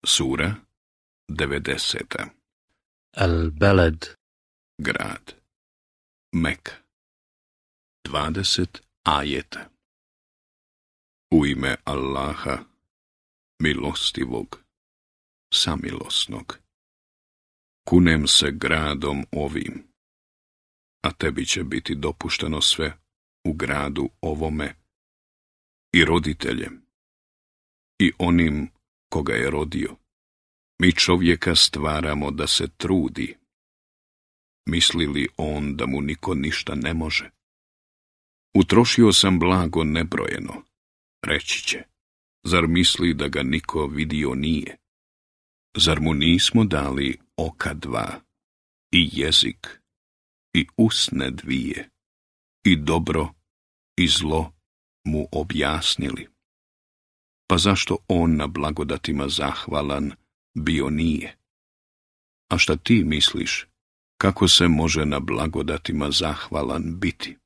Sura 90. Al-Balad. Grad. Meka. 20 ajeta. U ime Allaha, milostivog, samilosnog. Kunem se gradom ovim, a tebi će biti dopušteno sve u gradu ovome, i roditeljem, i onim koga je rodio. Mi čovjeka stvaramo da se trudi. Misli li on da mu niko ništa ne može? Utrošio sam blago nebrojeno, reći će. Zar misli da ga niko vidio nije? Zar mu nismo dali oka dva, i jezik, i usne dvije, i dobro i zlo mu objasnili? Pa zašto on na blagodatima zahvalan bio nije? A šta ti misliš, kako se može na blagodatima zahvalan biti?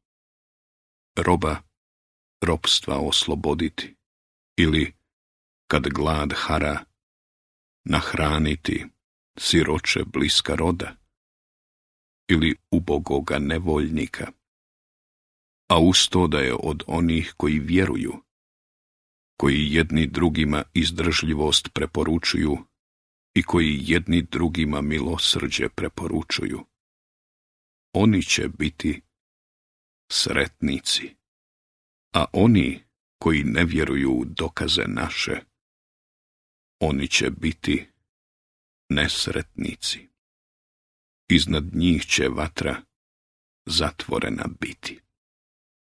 Roba ropstva osloboditi, ili, kad glad hara, nahraniti siroče bliska roda, ili ubogoga nevoljnika, a uz to da je od onih koji vjeruju, koji jedni drugima izdržljivost preporučuju i koji jedni drugima milosrđe preporučuju. Oni će biti sretnici, a oni koji ne vjeruju u dokaze naše, oni će biti nesretnici. Iznad njih će vatra zatvorena biti.